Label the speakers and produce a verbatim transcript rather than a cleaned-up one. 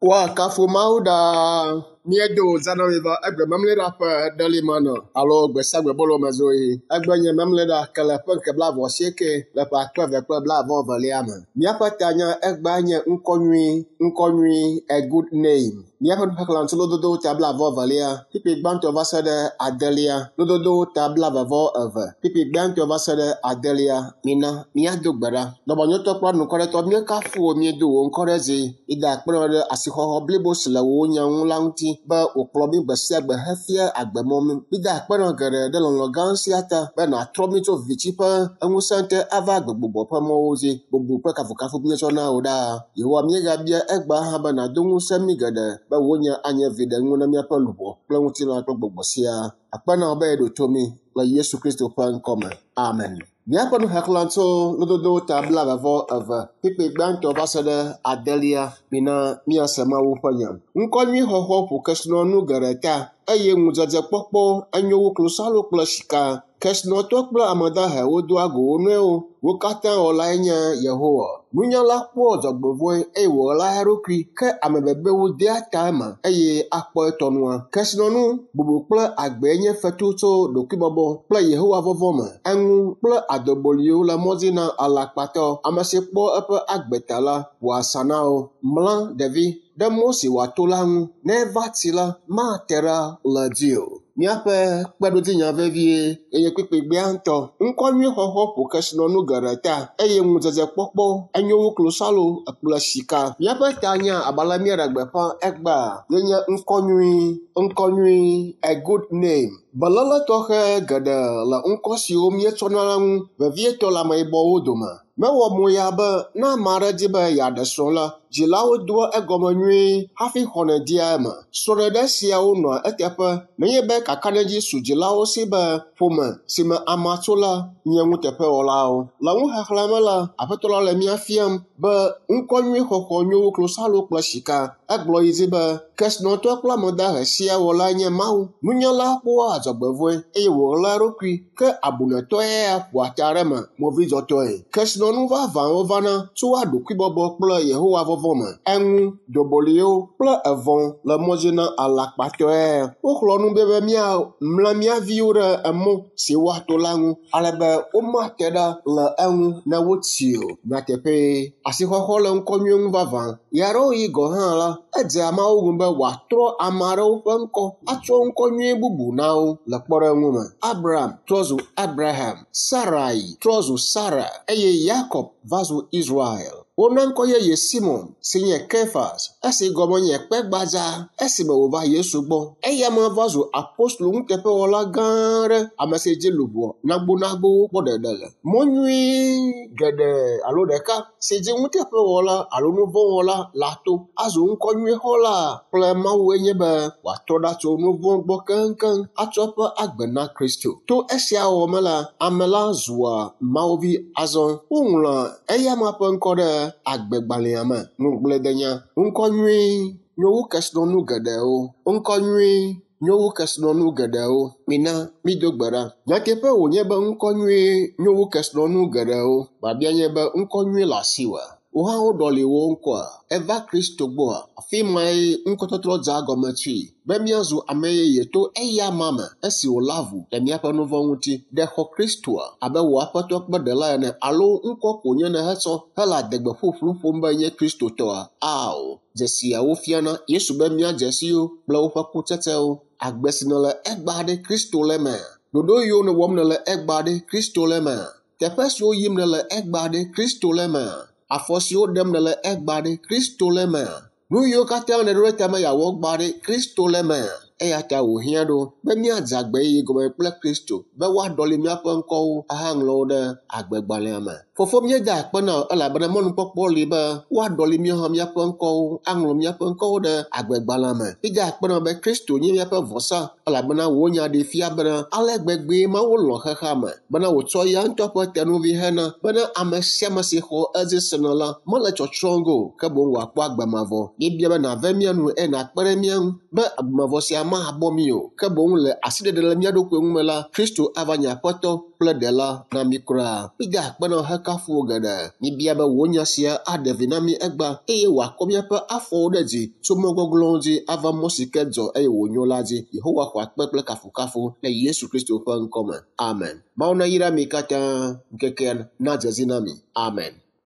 Speaker 1: Woakafu Mawu ɖaa. Míedo zãnɔmi va egbe memleɖa ƒe ɖelimana alo gbe sia gbe bolomezoɣi. Egbe nye memleɖa ke le ƒe ŋke blaeve asieke le ƒe akpe eve kple blaeve evelia me. Míaƒe tanya egbea nye ŋkɔ nyui, ŋkɔ nyui, a good name. Míaƒe nuxexlẽ tso lododowo ta blaeve evelia, kpukpui gbãtɔ va se ɖe adelia. Lododowo ta blaeve vɔ eve, kpukpui gbãtɔ va se ɖe adelia. Mina míado gbe ɖa. Dɔmenyotɔ kple anukwaretɔ míekafu wò míedo wò ŋkɔ ɖe dzi. Mída akpe na wò ɖe asixɔxɔ blibo si le wò nya ŋu la ŋuti be wòkplɔ mí gbe sia gbe hefia agbemɔ mí. Mída akpe na wò geɖe ɖe lɔlɔ̃ gã sia ta be nàtrɔ mí tso viviti ƒe ŋusẽ te ava agbegbugbɔ ƒe mɔwo dzi. Bubu kple kafukafu míetsɔ na wò ɖaa. Yehowa míegabia egbea hã be nàdo ŋusẽ mí geɖe be wò nya anye viɖenu na míaƒe luʋɔ kple ŋutilã kple gbɔgbɔ siaa. Akpe na wò be èɖo to mí le Yesu Kristo ƒe ŋkɔme. Amen. Míaƒe nuxexlẽ tso lododowo ta blaeve vɔ eve, kpukpui gbãtɔ va se ɖe adelia. Mina míase Mawu ƒe nya. Ŋkɔ nyui xɔxɔ ƒo kesinɔnu geɖe ta eye ŋudzedzekpɔkpɔ enyo wu klosalo kple sika. Kesinɔtɔ kple ame dahewo doa go wo nɔewo. Wo katã wɔlae nye Yehowa. Nunyala kpɔa dzɔgbevɔ̃e eye wòɣlaa eɖokui ke ame bebewo dea ta eme eye akpɔ etɔnua. Kesinɔnu, bubu kple agbee nye fetu tso ɖokuibɔbɔ kple Yehowa vɔvɔ̃ me. Eŋu kple adoboliwo le mɔ dzi na alakpatɔ. Ame si kpɔ eƒe agbe ta la ƒoa asa na wo. Mla ɖevi ɖe mɔ si wòato la ŋu. Ne eva tsi la, mate ɖa le edzi o. Míaƒe kpeɖodzinya vevie eye kpukpui gbãtɔ. Ŋkɔ nyui xɔxɔ ƒo kesinɔnu geɖe ta eye ŋudzedzekpɔkpɔ enyo wu klosalo kple sika. Míaƒe tanya abe ale míeɖe gbeƒã egbea ye nye ŋkɔ nyui, ŋkɔ nyui, a good name. Beléle tɔxɛ geɖe le ŋkɔ siwo míetsɔna la ŋu, vevietɔ le ameyibɔwo dome. Mewɔ moya be ne ame aɖe di be yeaɖe srɔ̃ la, dzilawo doa egɔme nyuie hafi xɔnɛ dea eme. Srɔ̃ɖeɖe siawo nɔa eteƒe nenye be kakaɖedzi su dzilawo si be ƒome si me amea tso la nye nuteƒewɔlawo. Le nuxexlẽ me la, Aƒetɔ la le mía fiam be ŋkɔ nyui xɔxɔ nyo wu klosalo kple sika. Egblɔ yi dzi be kesinɔtɔ kple ame dahe sia wɔlae nye Mawu. Nunyala kpɔa dzɔgbevɔ̃e eye wòɣlaa eɖokui ke abunɛtɔe ya ƒoa ta ɖe eme movidzɔtɔe. Kesinɔnu vavãwo vana tsoa ɖokuibɔbɔ kple Yehowa vɔvɔ̃ me. Eŋu, doboliwo kple evɔ̃ le mɔ dzi na alakpatɔe. Woxlɔ̃ nu be míamla mía viwo ɖe emɔ si woato la ŋu ale be womate ɖa le eŋu ne wotsi o. Nyateƒee, asixɔxɔ le ŋkɔ nyui ŋu vavã. Ɣeaɖewoɣi gɔ̃ hã la, edzea Mawu ŋu be wòatrɔ ame aɖewo ƒe ŋkɔ atsɔ ŋkɔ nyui bubu na wo le kpɔɖeŋu me. Abram trɔ zu Abraham, Sarai trɔ zu Sara eye Yakob va zu Israel. Wona ŋkɔ yeye Simon si nye Kefas, esi gɔme nye kpe gbadza esime wòva Yesu gbɔ. Eya ma va zu apostolo nuteƒewɔla gã aɖe, ame si dzi luʋɔ nagbonagbowo kpɔ ɖeɖe le. Mɔ nyui geɖe alo ɖeka si dzi nuteƒewɔla alo nuvɔ̃wɔla la to azu ŋkɔ nyui xɔla kple Mawue nye be wòatrɔ ɖa tso nuvɔ̃ gbɔ keŋkeŋ atsɔ eƒe agbe na Kristo. To esia wɔwɔ me la, ame la zua Mawuvi azɔ. Woŋlɔa eya ma ƒe ŋkɔ ɖe agbegbalẽa me. Ŋugbledenya. Ŋkɔ nyui nyo wu kesinɔnu geɖewo. Ŋkɔ nyui nyo wu kesinɔnu geɖewo. Mina mído gbe ɖa. Nyateƒe wònye be ŋkɔ nyui nyo wu kesinɔnu geɖewo. Biabia nye be ŋkɔ nyui le asiwòa? Wò hã woɖɔli wò ŋkɔa? Eva Kristo gbɔa? Afi mae ŋkɔtɔtrɔ dze egɔme tsoe be míazu ame yeye to eya ma me esi wòlé avu le míaƒe nuvɔ̃ ŋuti. Ɖe xɔ Kristoa abe wò Aƒetɔ kple Ɖela ene alo ŋkɔ ko nye nèhetsɔ hele adegbe ƒuƒlu ƒom be nye Kristotɔa? Ao! Dzesiawo fiana Yesu be míadze si wo kple woƒe kutsetsewo. Agbe si nèle egbea ɖe Kristo le emea? Ɖoɖo yiwo nèwɔm nèle egbea ɖe Kristo le emea? Teƒe siwo yim nèle egbea ɖe Kristo le emea? Afɔ siwo ɖem nèle egbea ɖe Kristo le emea? Nu yiwo katã nèɖo ɖe tame yeawɔ egbea ɖe Kristo le emea? Eya ta wòhiã ɖo be míadze agbe yeye gɔme kple Kristo be woaɖɔli míaƒe ŋkɔwo ahaŋlɔ wo ɖe agbegbalẽa me. Fofo míeda akpe na wò elabena mɔnukpɔkpɔ li be woaɖɔli míawo hã míaƒe ŋkɔwo aŋlɔ míaƒe ŋkɔwo ɖe agbegbalẽa me. Míeda akpe na wò be Kristo nye míaƒe vɔsa elabena wò nya ɖee fia bena ale gbegbee Mawu lɔ̃ xexea me bena wòtsɔ eya ŋutɔ ƒe tenuvi hena bena ame sia ame si xɔ edzi sena la mele tsɔtsrɔ̃ ge o ke boŋ wòakpɔ agbe mavɔ. Míebia be nàve mía nu eye nàkpe ɖe mía ŋu be agbemavɔ sia mahabɔ mí o ke boŋ le asiɖeɖe le mía ɖokui ŋu me la Kristo ava nye aƒetɔ kple ɖela na mí kura. Mída akpe na wò hekafu wò geɖe. Míbia be wò nya sia aɖe vi na mí egbea eye wòakɔ míaƒe afɔwo ɖe dzi tso mɔ gɔglɔ̃wo dzi ava mɔ si ke dzɔ eye wònyo la dzi. Yehowa xɔ akpe kple kafukafu le Yesu Kristo ƒe ŋkɔ me. Amen. Mawu nayra mi katã ŋkekea nadze dzi na mi. Amen.